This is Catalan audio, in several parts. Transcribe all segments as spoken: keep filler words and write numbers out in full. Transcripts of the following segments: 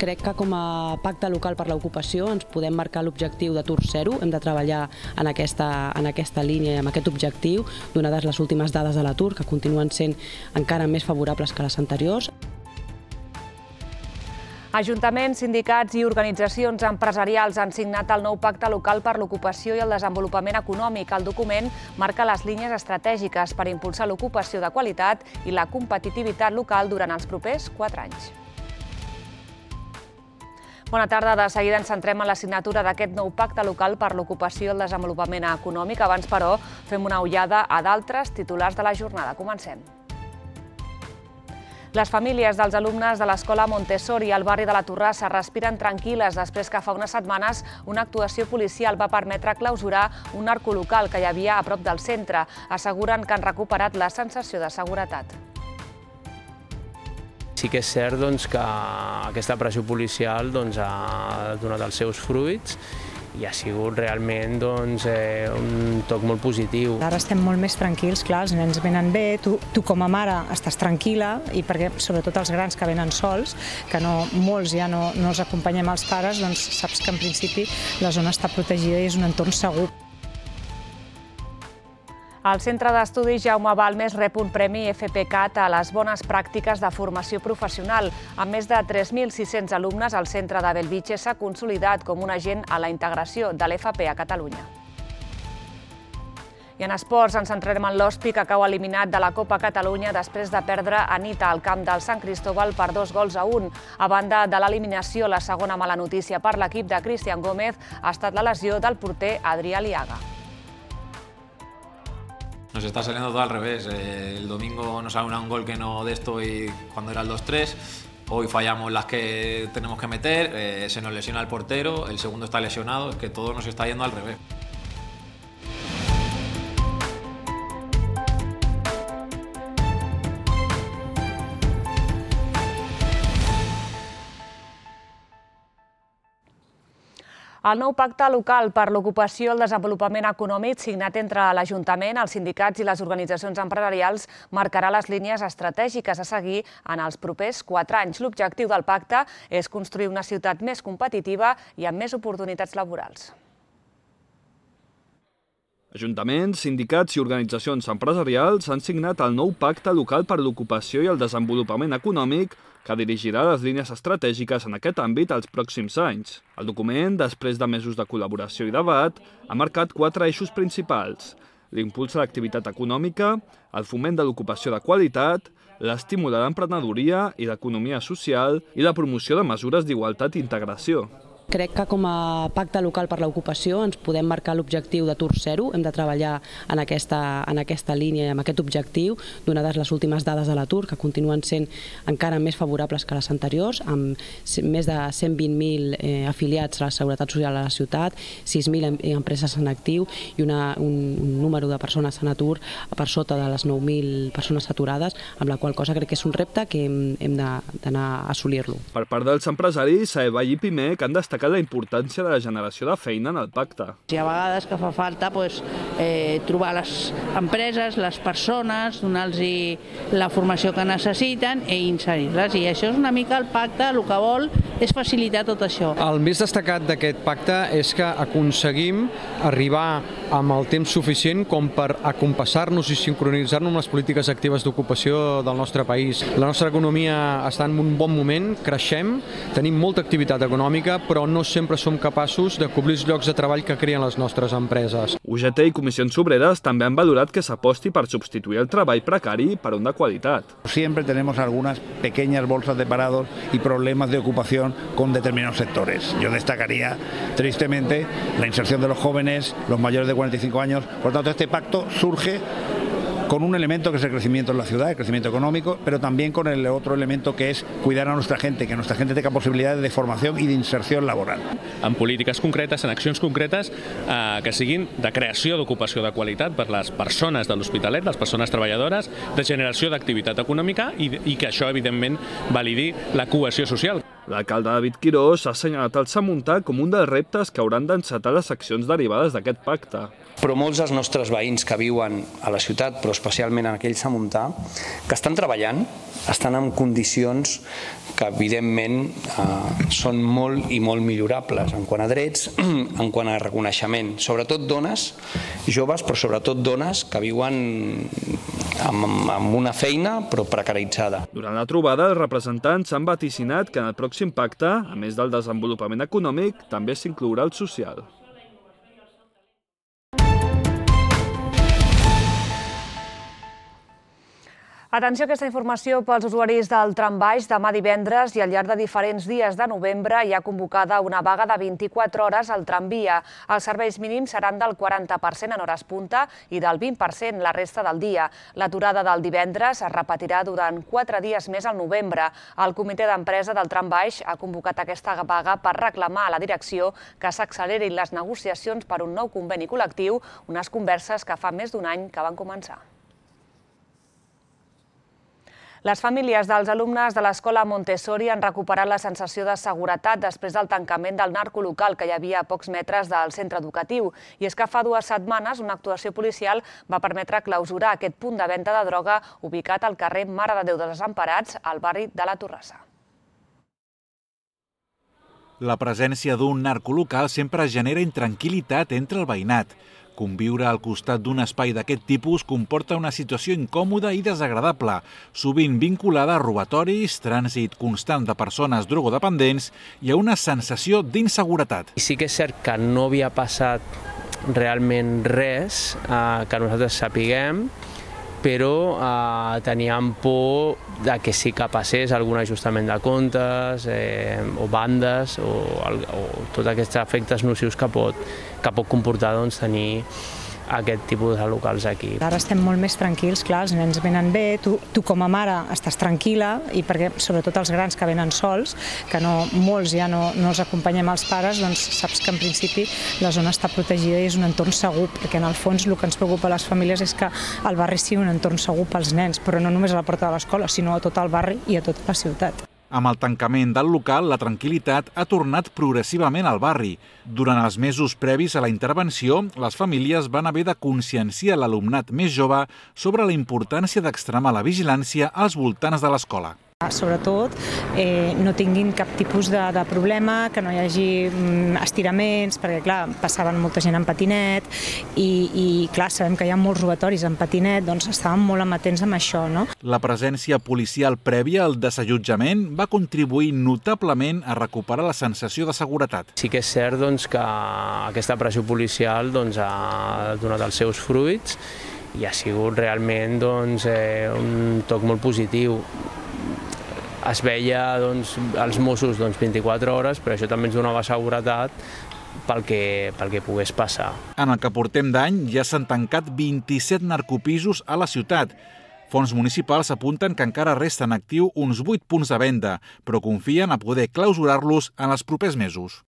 Crec que com a pacte local per l'ocupació ens podem marcar l'objectiu d'atur zero. Hem de treballar en aquesta, en aquesta línia i amb aquest objectiu, donades les últimes dades de l'atur, que continuen sent encara més favorables que les anteriors. Ajuntaments, sindicats i organitzacions empresarials han signat el nou Pacte Local per l'Ocupació i el Desenvolupament Econòmic. El document marca les línies estratègiques per impulsar l'ocupació de qualitat i la competitivitat local durant els propers quatre anys. Bona tarda. De seguida ens centrem en la signatura d'aquest nou Pacte Local per l'Ocupació i el Desenvolupament Econòmic. Abans, però, fem una ullada a d'altres titulars de la jornada. Comencem. Les famílies dels alumnes de l'Escola Montessori al barri de la Torrassa respiren tranquil·les després que fa unes setmanes una actuació policial va permetre clausurar un narcolocal que hi havia a prop del centre. Asseguren que han recuperat la sensació de seguretat. Sí que és cert que aquesta pressió policial ha donat els seus fruits i ha sigut realment un toc molt positiu. Ara estem molt més tranquils, clar, els nens venen bé, tu, tu com a mare estàs tranquil·la, i perquè sobretot els grans que venen sols, que no, molts ja no, no els acompanyem els pares, doncs saps que en principi la zona està protegida i és un entorn segur. El Centre d'Estudis Jaume Balmes rep un premi F P C A T a les bones pràctiques de formació professional. Amb més de tres mil sis-cents alumnes, el centre de Bellvitge s'ha consolidat com un agent a la integració de l'F P a Catalunya. I en esports ens centrarem en l'Hospi, que cau eliminat de la Copa Catalunya després de perdre a nit al camp del Sant Cristóbal per dos gols a un. A banda de l'eliminació, la segona mala notícia per l'equip de Cristian Gómez ha estat la lesió del porter Adrià Liaga. Nos está saliendo todo al revés. El domingo nos sale un gol que no de esto y cuando era el dos tres. Hoy fallamos las que tenemos que meter, eh, se nos lesiona el portero, el segundo está lesionado, es que todo nos está yendo al revés. El nou Pacte Local per l'Ocupació i el Desenvolupament Econòmic, signat entre l'Ajuntament, els sindicats i les organitzacions empresarials, marcarà les línies estratègiques a seguir en els propers quatre anys. L'objectiu del pacte és construir una ciutat més competitiva i amb més oportunitats laborals. Ajuntaments, sindicats i organitzacions empresarials han signat el nou Pacte Local per l'Ocupació i el Desenvolupament Econòmic que dirigirà les línies estratègiques en aquest àmbit els pròxims anys. El document, després de mesos de col·laboració i debat, ha marcat quatre eixos principals: l'impuls a l'activitat econòmica, el foment de l'ocupació de qualitat, l'estímul a l'emprenedoria i l'economia social i la promoció de mesures d'igualtat i integració. Crec que com a pacte local per l'ocupació ens podem marcar l'objectiu d'atur zero. Hem de treballar en aquesta, en aquesta línia i amb aquest objectiu, donades les últimes dades de l'atur, que continuen sent encara més favorables que les anteriors, amb més de cent vint mil eh, afiliats a la Seguretat Social a la ciutat, sis mil empreses en actiu i una, un, un número de persones en atur per sota de les nou mil persones aturades, amb la qual cosa crec que és un repte que hem, hem d'anar a assolir-lo. Per part dels empresaris, Saeball i Pimec han destacat la importància de la generació de feina en el pacte. Hi ha vegades que fa falta pues, eh, trobar les empreses, les persones, donar-los la formació que necessiten i inserir-les. I això és una mica el pacte, el que vol és facilitar tot això. El més destacat d'aquest pacte és que aconseguim arribar amb el temps suficient com per acompassar-nos i sincronitzar-nos amb les polítiques actives d'ocupació del nostre país. La nostra economia està en un bon moment, creixem, tenim molta activitat econòmica, però no sempre som capaços de cobrir els llocs de treball que creen les nostres empreses. U G T i Comissions Obreres també han valorat que s'aposti per substituir el treball precari per un de qualitat. Siempre tenemos algunas pequeñas bolsas de parados y problemas de ocupación con determinados sectores. Yo destacaría tristemente la inserción de los jóvenes, los mayores de cuarenta y cinco años. Por tanto, este pacto surge con un elemento que es el crecimiento en la ciudad, el crecimiento económico, pero también con el otro elemento que es cuidar a nuestra gente, que nuestra gente tenga posibilidades de formación i d'inserció laboral. En polítiques concretes, en accions concretes eh, que siguin de creació d'ocupació de qualitat per les persones de l'Hospitalet, les persones treballadores, de generació d'activitat econòmica i, i que això, evidentment, validi la cohesió social. L'alcalde David Quirós ha assenyalat el Samuntà com un dels reptes que hauran d'encetar les accions derivades d'aquest pacte. Però molts dels nostres veïns que viuen a la ciutat, però especialment en aquell Samuntà, que estan treballant, estan en condicions que evidentment eh, són molt i molt millorables en quant a drets, en quant a reconeixement. Sobretot dones joves, però sobretot dones que viuen amb, amb una feina però precaritzada. Durant la trobada, els representants han vaticinat que en el pròxim pacte, a més del desenvolupament econòmic, també s'inclourà el social. Atenció a aquesta informació pels usuaris del trambaix. Demà divendres i al llarg de diferents dies de novembre hi ha convocada una vaga de vint-i-quatre hores al tramvia. Els serveis mínims seran del quaranta per cent en hores punta i del vint per cent la resta del dia. L'aturada del divendres es repetirà durant quatre dies més al novembre. El comitè d'empresa del trambaix ha convocat aquesta vaga per reclamar a la direcció que s'accelerin les negociacions per un nou conveni col·lectiu, unes converses que fa més d'un any que van començar. Les famílies dels alumnes de l'escola Montessori han recuperat la sensació de seguretat després del tancament del narcolocal que hi havia a pocs metres del centre educatiu. I és que fa dues setmanes una actuació policial va permetre clausurar aquest punt de venda de droga ubicat al carrer Mare de Déu dels Desemparats, al barri de la Torrassa. La presència d'un narcolocal sempre genera intranquil·litat entre el veïnat. Conviure al costat d'un espai d'aquest tipus comporta una situació incòmoda i desagradable, sovint vinculada a robatoris, trànsit constant de persones drogodependents i a una sensació d'inseguretat. Sí que és cert que no havia passat realment res eh, que nosaltres sapiguem, però eh, teníem por de que sí que passés algun ajustament de comptes eh, o bandes o, o tots aquests efectes nocius que pot, que pot comportar doncs, tenir aquest tipus de locals aquí. Ara estem molt més tranquils, clar, els nens venen bé, tu, tu com a mare estàs tranquil·la i perquè sobretot els grans que venen sols, que no, molts ja no, no els acompanyem als pares, doncs saps que en principi la zona està protegida i és un entorn segur, perquè en el fons el que ens preocupa a les famílies és que el barri sigui un entorn segur pels nens, però no només a la porta de l'escola, sinó a tot el barri i a tota la ciutat. Amb el tancament del local, la tranquil·litat ha tornat progressivament al barri. Durant els mesos previs a la intervenció, les famílies van haver de conscienciar l'alumnat més jove sobre la importància d'extremar la vigilància als voltants de l'escola. Sobretot eh, no tinguin cap tipus de, de problema, que no hi hagi mm, estiraments, perquè clar, passaven molta gent en patinet i, i clar, sabem que hi ha molts robatoris en patinet, doncs estàvem molt amatents amb això, no? La presència policial prèvia al desallotjament va contribuir notablement a recuperar la sensació de seguretat. Sí que és cert doncs, que aquesta pressió policial doncs, ha donat els seus fruits i ha sigut realment doncs, eh, un toc molt positiu. Es veia doncs, els Mossos doncs, vint-i-quatre hores, però això també ens donava seguretat pel que, pel que pogués passar. En el que portem d'any ja s'han tancat vint-i-set narcopisos a la ciutat. Fons municipals apunten que encara resten actiu uns vuit punts de venda, però confien a poder clausurar-los en els propers mesos.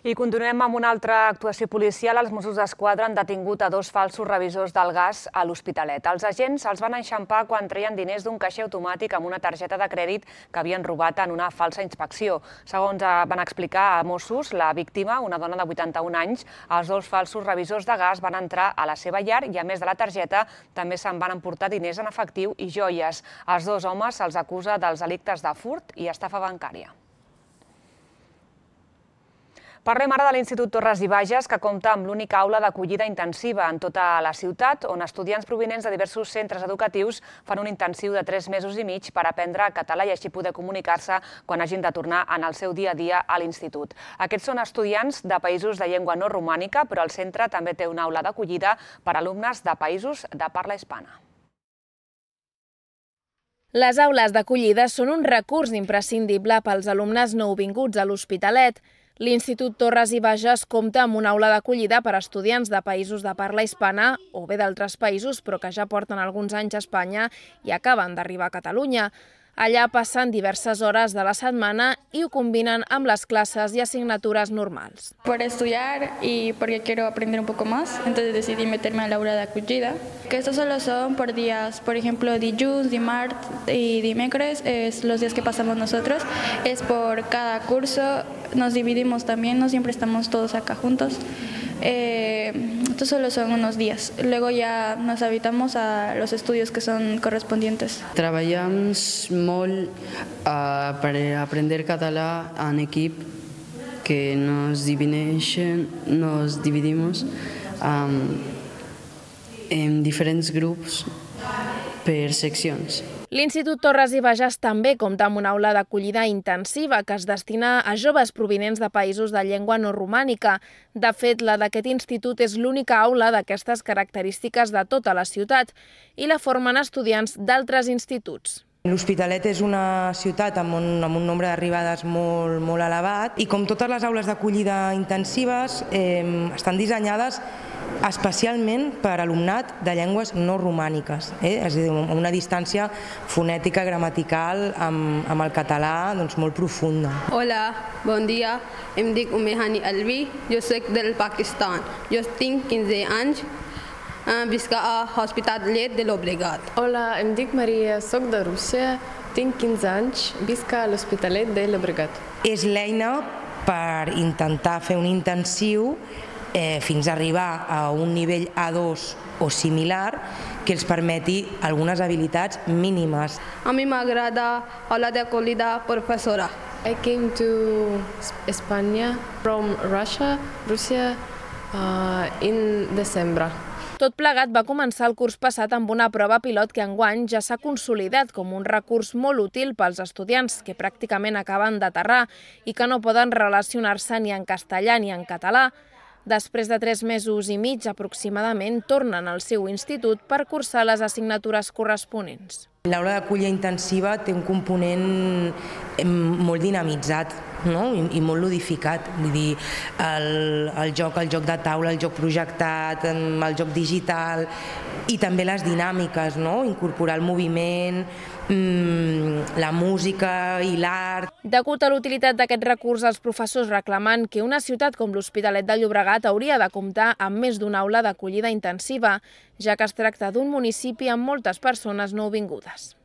I continuem amb una altra actuació policial. Els Mossos d'Esquadra han detingut a dos falsos revisors del gas a l'Hospitalet. Els agents els van enxampar quan treien diners d'un caixer automàtic amb una targeta de crèdit que havien robat en una falsa inspecció. Segons van explicar a Mossos, la víctima, una dona de vuitanta-un anys, els dos falsos revisors de gas van entrar a la seva llar i, a més de la targeta, també se'n van emportar diners en efectiu i joies. Els dos homes se'ls acusa dels delictes de furt i estafa bancària. Parlem ara de l'Institut Torres i Bages, que compta amb l'única aula d'acollida intensiva en tota la ciutat, on estudiants provinents de diversos centres educatius fan un intensiu de tres mesos i mig per aprendre català i així poder comunicar-se quan hagin de tornar en el seu dia a dia a l'institut. Aquests són estudiants de països de llengua no romànica, però el centre també té una aula d'acollida per a alumnes de països de parla hispana. Les aules d'acollida són un recurs imprescindible pels alumnes nouvinguts a l'Hospitalet. L'Institut Torres i Bages compta amb una aula d'acollida per a estudiants de països de parla hispana o bé d'altres països, però que ja porten alguns anys a Espanya i acaben d'arribar a Catalunya. Allà passen diverses hores de la setmana i ho combinen amb les classes i assignatures normals. Por estudiar y porque quiero aprender un poco más, entonces decidí meterme a la hora de acollida. Que estos solo son por días, por ejemplo, dilluns, dimarts y dimecres, es los días que pasamos nosotros. Es por cada curso, nos dividimos también, no siempre estamos todos acá juntos. Eh, estos solo son unos días. Luego ya nos habitamos a los estudios que son correspondientes. Treballamos molt uh, per aprender català en equip, que nos divideixen, nos dividimos um, en diferents grups per seccions. L'Institut Torres i Bages també compta amb una aula d'acollida intensiva que es destina a joves provinents de països de llengua no romànica. De fet, la d'aquest institut és l'única aula d'aquestes característiques de tota la ciutat i la formen estudiants d'altres instituts. L'Hospitalet és una ciutat amb un, amb un nombre d'arribades molt, molt elevat i com totes les aules d'acollida intensives eh, estan dissenyades especialment per alumnat de llengües no romàniques, eh? És a dir, una distància fonètica, gramatical amb, amb el català doncs, molt profunda. Hola, bon dia, em dic Umehani Alvi, jo soc del Pakistan, jo tinc quinze anys, visc a l'Hospitalet de Llobregat. Hola, em dic Maria, soc de Rússia, tinc quinze anys, visc a l'Hospitalet de Llobregat. És l'eina per intentar fer un intensiu Eh, fins a arribar a un nivell A dos o similar que els permeti algunes habilitats mínimes. A mi m'agrada aula d'acollida professora. I came to Espanya from Russia, Rússia, uh, in December. Tot plegat va començar el curs passat amb una prova pilot que enguany ja s'ha consolidat com un recurs molt útil pels estudiants que pràcticament acaben d'aterrar i que no poden relacionar-se ni en castellà ni en català. Després de tres mesos i mig aproximadament, tornen al seu institut per cursar les assignatures corresponents. L'aula d'acollida intensiva té un component molt dinamitzat, no? I, i molt ludificat. Vull dir, el, el joc, el joc de taula, el joc projectat, el joc digital i també les dinàmiques, no? Incorporar el moviment, la música i l'art. Degut a l'utilitat d'aquest recurs, els professors reclamen que una ciutat com l'Hospitalet de Llobregat hauria de comptar amb més d'una aula d'acollida intensiva, ja que es tracta d'un municipi amb moltes persones nouvingudes.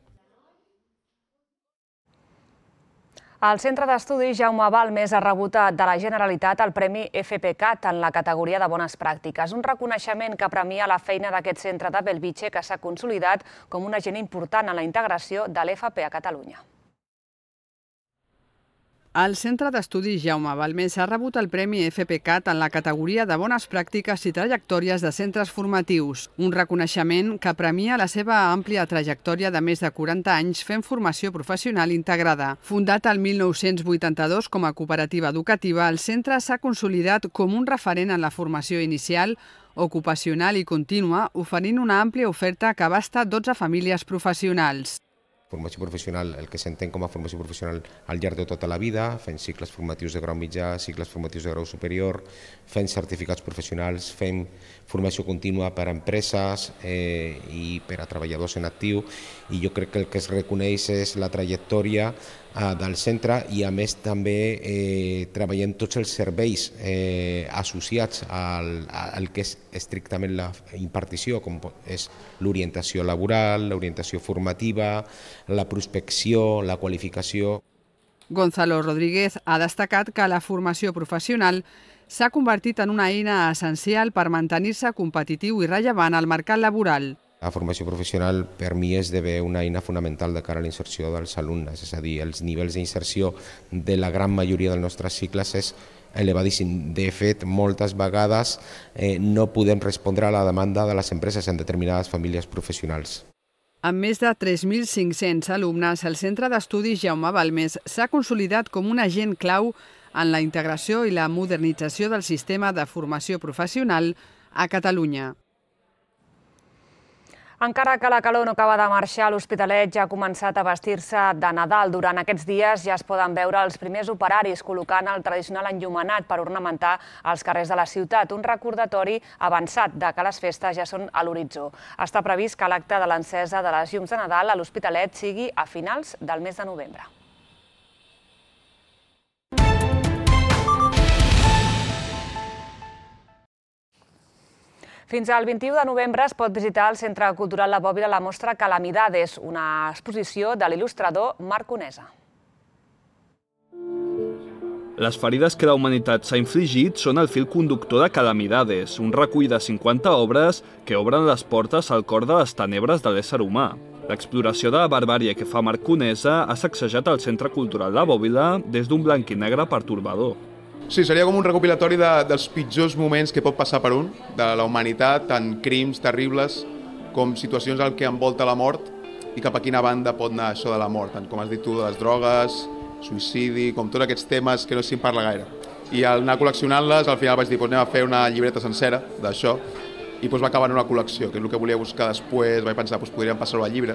El Centre d'Estudis Jaume Balmes ha rebut de la Generalitat el Premi F P C A T en la categoria de Bones Pràctiques, un reconeixement que premia la feina d'aquest centre de Bellvitge que s'ha consolidat com un agent important en la integració de l'F P a Catalunya. El Centre d'Estudis Jaume Balmes ha rebut el Premi F P C A T en la categoria de Bones Pràctiques i Trajectòries de Centres Formatius, un reconeixement que premia la seva àmplia trajectòria de més de quaranta anys fent formació professional integrada. Fundat el mil nou-cents vuitanta-dos com a cooperativa educativa, el centre s'ha consolidat com un referent en la formació inicial, ocupacional i contínua, oferint una àmplia oferta que abasta dotze famílies professionals. Formació professional, el que s'entén com a formació professional al llarg de tota la vida, fent cicles formatius de grau mitjà, cicles formatius de grau superior, fent certificats professionals, fent formació contínua per a empreses eh, i per a treballadors en actiu, i jo crec que el que es reconeix és la trajectòria eh, del centre i a més també eh, treballem tots els serveis eh, associats al, al que és estrictament la impartició, com és l'orientació laboral, l'orientació formativa, la prospecció, la qualificació. Gonzalo Rodríguez ha destacat que la formació professional s'ha convertit en una eina essencial per mantenir-se competitiu i rellevant al mercat laboral. La formació professional per mi esdevé una eina fonamental de cara a la inserció dels alumnes, és a dir, els nivells d'inserció de la gran majoria dels nostres cicles és elevadíssim. De fet, moltes vegades eh, no podem respondre a la demanda de les empreses en determinades famílies professionals. Amb més de tres mil cinc-cents alumnes, el Centre d'Estudis Jaume Balmes s'ha consolidat com un agent clau en la integració i la modernització del sistema de formació professional a Catalunya. Encara que la calor no acaba de marxar, l'Hospitalet ja ha començat a vestir-se de Nadal. Durant aquests dies ja es poden veure els primers operaris col·locant el tradicional enllumenat per ornamentar els carrers de la ciutat, un recordatori avançat de que les festes ja són a l'horitzó. Està previst que l'acte de l'encesa de les llums de Nadal a l'Hospitalet sigui a finals del mes de novembre. Fins al vint-i-u de novembre es pot visitar al Centre Cultural La Bòbila la mostra Calamidades, una exposició de l'il·lustrador Marc Conesa. Les ferides que la humanitat s'ha infligit són el fil conductor de Calamidades, un recull de cinquanta obres que obren les portes al cor de les tenebres de l'ésser humà. L'exploració de la barbàrie que fa Marc Conesa ha sacsejat el Centre Cultural La Bòbila des d'un blanc i negre pertorbador. Sí, seria com un recopilatori de, dels pitjors moments que pot passar per un, de la humanitat, tant crims terribles com situacions al que envolta la mort i cap a quina banda pot anar això de la mort, tant com has dit tu, de les drogues, suïcidi, com tots aquests temes que no se'n parla gaire. I al anar col·leccionant-les, al final vaig dir, doncs anem a fer una llibreta sencera d'això i doncs va acabar en una col·lecció, que és el que volia buscar després, vaig pensar, doncs podríem passar-ho al llibre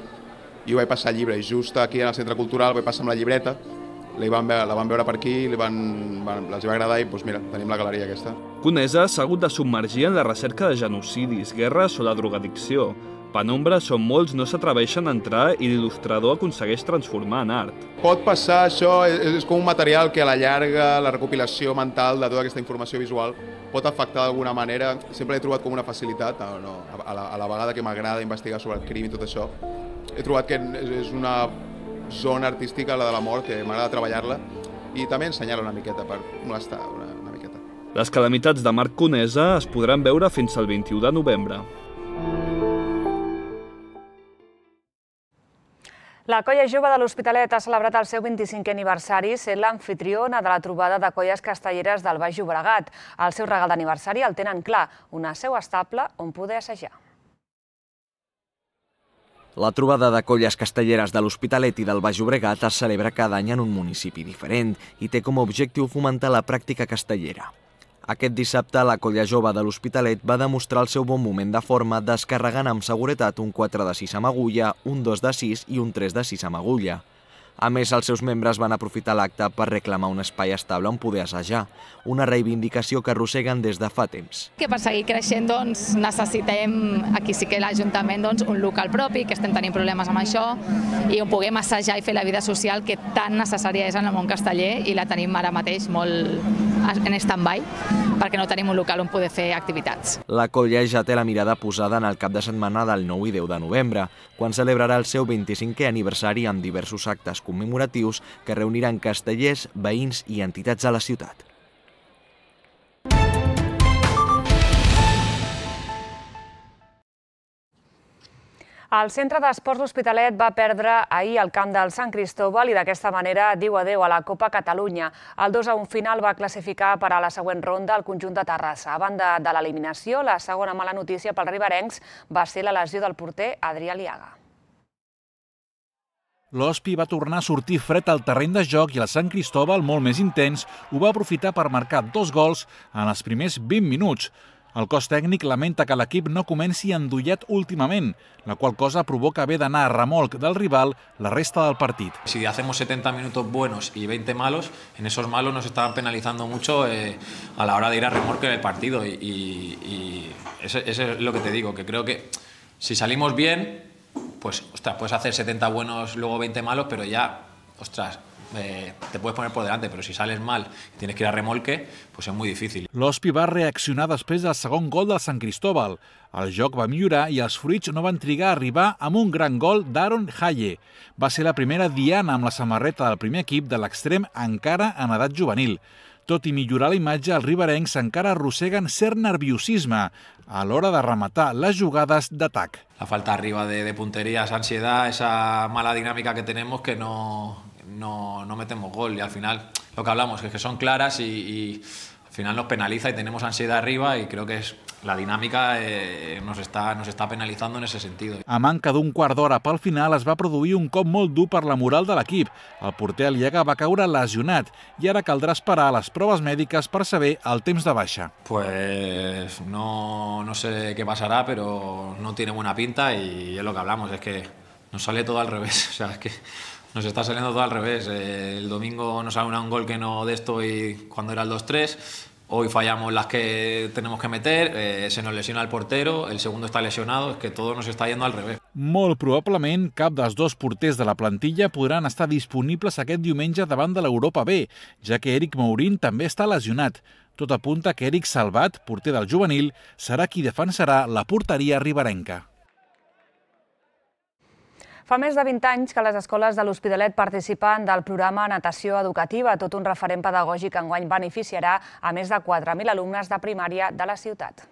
i ho vaig passar al llibre, i just aquí en el Centre Cultural vaig passar amb la llibreta. La van, veure, la van veure per aquí, li van, van, els va agradar i doncs mira, tenim la galeria aquesta. Conesa s'ha hagut de submergir en la recerca de genocidis, guerres o la drogadicció. Penombra on molts no s'atreveixen a entrar i l'il·lustrador aconsegueix transformar en art. Pot passar això, és, és com un material que a la llarga, la recopilació mental de tota aquesta informació visual pot afectar d'alguna manera. Sempre l'he trobat com una facilitat, no, no, a, la, a la vegada que m'agrada investigar sobre el crim i tot això. He trobat que és una zona artística, la de la mort, que m'agrada treballar-la i també ensenyar-la una miqueta per molestar una, una miqueta. Les calamitats de Marc Conesa es podran veure fins al vint-i-u de novembre. La Colla Jove de l'Hospitalet ha celebrat el seu vint-i-cinquè aniversari sent l'amfitriona de la trobada de colles castelleres del Baix Llobregat. El seu regal d'aniversari el tenen clar, una seu estable on poder assajar. La trobada de colles castelleres de l'Hospitalet i del Baix Llobregat es celebra cada any en un municipi diferent i té com a objectiu fomentar la pràctica castellera. Aquest dissabte, la Colla Jove de l'Hospitalet va demostrar el seu bon moment de forma descarregant amb seguretat un quatre de sis amb agulla, un dos de sis i un tres de sis amb agulla. A més, els seus membres van aprofitar l'acte per reclamar un espai estable on poder assajar, una reivindicació que arrosseguen des de fa temps. Que per seguir creixent doncs, necessitem, aquí sí que l'Ajuntament, doncs, un local propi, que estem tenint problemes amb això, i on puguem assajar i fer la vida social que tan necessària és en el món casteller i la tenim ara mateix molt en stand-by, perquè no tenim un local on poder fer activitats. La colla ja té la mirada posada en el cap de setmana del nou i deu de novembre, quan celebrarà el seu vint-i-cinquè aniversari amb diversos actes commemoratius que reuniran castellers, veïns i entitats de la ciutat. El Centre d'Esports L'Hospitalet va perdre ahir el camp del Sant Cristóbal i d'aquesta manera diu adéu a la Copa Catalunya. El dos a un final va classificar per a la següent ronda el conjunt de Terrassa. A banda de l'eliminació, la segona mala notícia pels riberencs va ser la lesió del porter Adrià Liaga. L'Hospi va tornar a sortir fred al terreny de joc i el Sant Cristóbal, molt més intens, ho va aprofitar per marcar dos gols en els primers vint minuts. El cos tècnic lamenta que l'equip no comenci endollat últimament, la qual cosa provoca haver d'anar a remolc del rival la resta del partit. Si hacemos setenta minutos buenos y veinte malos, en esos malos nos estaban penalizando mucho eh, a la hora de ir a remolque del partido y, y, y eso, eso es lo que te digo, que creo que si salimos bien, pues ostras, puedes hacer setenta buenos, luego veinte malos, pero ya, ostras, Eh, te puedes poner por delante, pero si sales mal y tienes que ir a remolque, pues es muy difícil. L'Hospi va reaccionar després del segon gol del Sant Cristóbal. El joc va millorar i els fruits no van trigar a arribar amb un gran gol d'Aaron Haye. Va ser la primera diana amb la samarreta del primer equip de l'extrem encara en edat juvenil. Tot i millorar la imatge, els riberencs encara arrosseguen cert nerviosisme a l'hora de rematar les jugades d'atac. La falta arriba de, de puntería, esa ansiedad, esa mala dinámica que tenemos que no, no, no metemos gol y al final lo que hablamos es que son claras y, y al final nos penaliza y tenemos ansiedad arriba y creo que es la dinámica eh, nos, está, nos está penalizando en ese sentido. A manca d'un quart d'hora pel final es va produir un cop molt dur per la moral de l'equip. El porter Aliaga va caure lesionat i ara caldrà esperar a les proves mèdiques per saber el temps de baixa. Pues no, no sé qué pasará, pero no tiene buena pinta y es lo que hablamos, es que nos sale todo al revés, o sea, es que nos está saliendo todo al revés. Eh, el domingo nos sale un gol que no de esto y cuando era el dos tres. Hoy fallamos las que tenemos que meter, eh, se nos lesiona el portero, el segundo está lesionado, es que todo nos está yendo al revés. Molt probablement cap dels dos porters de la plantilla podran estar disponibles aquest diumenge davant de l'Europa B, ja que Eric Mourin també està lesionat. Tot apunta que Eric Salvat, porter del juvenil, serà qui defensarà la porteria riberenca. Fa més de vint anys que les escoles de l'Hospitalet participen del programa Natació Educativa, tot un referent pedagògic que enguany beneficiarà a més de quatre mil alumnes de primària de la ciutat.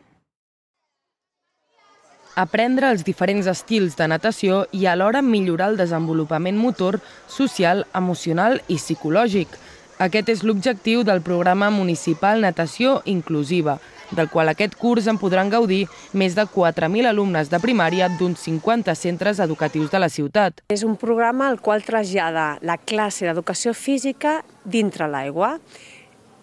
Aprendre els diferents estils de natació i alhora millorar el desenvolupament motor, social, emocional i psicològic. Aquest és l'objectiu del programa municipal Natació Inclusiva, del qual aquest curs en podran gaudir més de quatre mil alumnes de primària d'uns cinquanta centres educatius de la ciutat. És un programa al qual trasllada la classe d'educació física dintre l'aigua.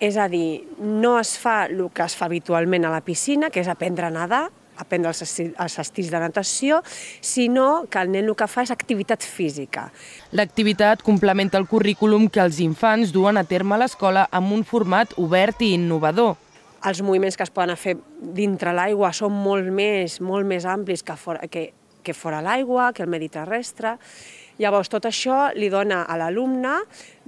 És a dir, no es fa el que es fa habitualment a la piscina, que és aprendre a nedar, aprendre els estils de natació, sinó que el nen el que fa és activitat física. L'activitat complementa el currículum que els infants duen a terme a l'escola amb un format obert i innovador. Els moviments que es poden fer dintre l'aigua són molt més, molt més amplis que fora, que, que fora l'aigua, que el medi terrestre. Llavors, tot això li dona a l'alumne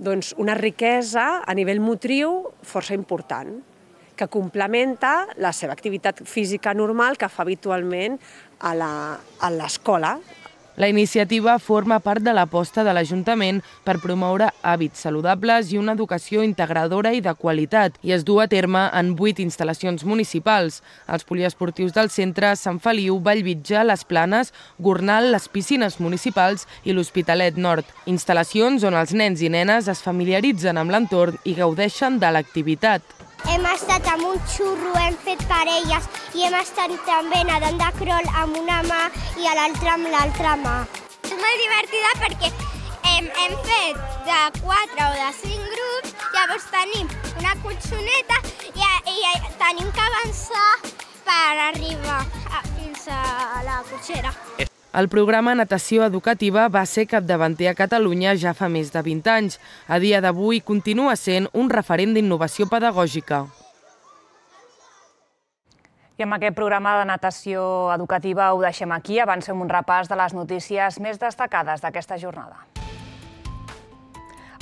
doncs, una riquesa a nivell motriu força important, que complementa la seva activitat física normal que fa habitualment a l'escola. La iniciativa forma part de l'aposta de l'Ajuntament per promoure hàbits saludables i una educació integradora i de qualitat i es du a terme en vuit instal·lacions municipals. Els poliesportius del centre, Sant Feliu, Vallvitge, Les Planes, Gornal, les piscines municipals i l'Hospitalet Nord. Instal·lacions on els nens i nenes es familiaritzen amb l'entorn i gaudeixen de l'activitat. Hem estat amb un xurro, hem fet parelles i hem estat també nedant de crawl amb una mà i a l'altra amb l'altra mà. És molt divertida perquè hem, hem fet de quatre o de cinc grups, llavors tenim una cotxoneta i, i tenim que avançar per arribar a, fins a la cotxera. El programa Natació Educativa va ser capdavanter a Catalunya ja fa més de vint anys. A dia d'avui continua sent un referent d'innovació pedagògica. I amb aquest programa de natació educativa ho deixem aquí. Avancem un repàs de les notícies més destacades d'aquesta jornada.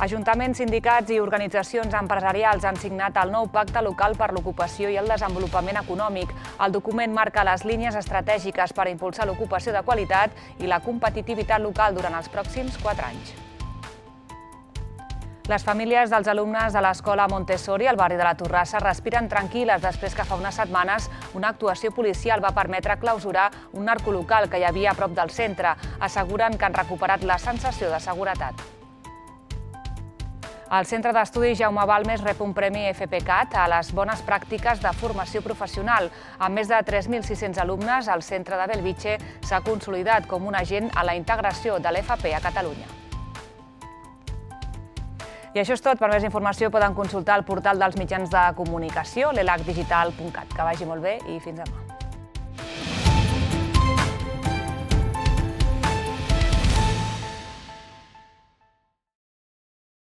Ajuntaments, sindicats i organitzacions empresarials han signat el nou Pacte Local per l'Ocupació i el Desenvolupament Econòmic. El document marca les línies estratègiques per impulsar l'ocupació de qualitat i la competitivitat local durant els pròxims quatre anys. Les famílies dels alumnes de l'escola Montessori al barri de la Torrassa respiren tranquil·les després que fa unes setmanes una actuació policial va permetre clausurar un narcolocal que hi havia a prop del centre. Asseguren que han recuperat la sensació de seguretat. El Centre d'Estudis Jaume Balmes rep un premi F P C A T a les bones pràctiques de formació professional. Amb més de tres mil sis-cents alumnes, el centre de Bellvitge s'ha consolidat com un agent a la integració de l'F P a Catalunya. I això és tot. Per més informació poden consultar el portal dels mitjans de comunicació, l'elac digital punt cat. Que vagi molt bé i fins demà.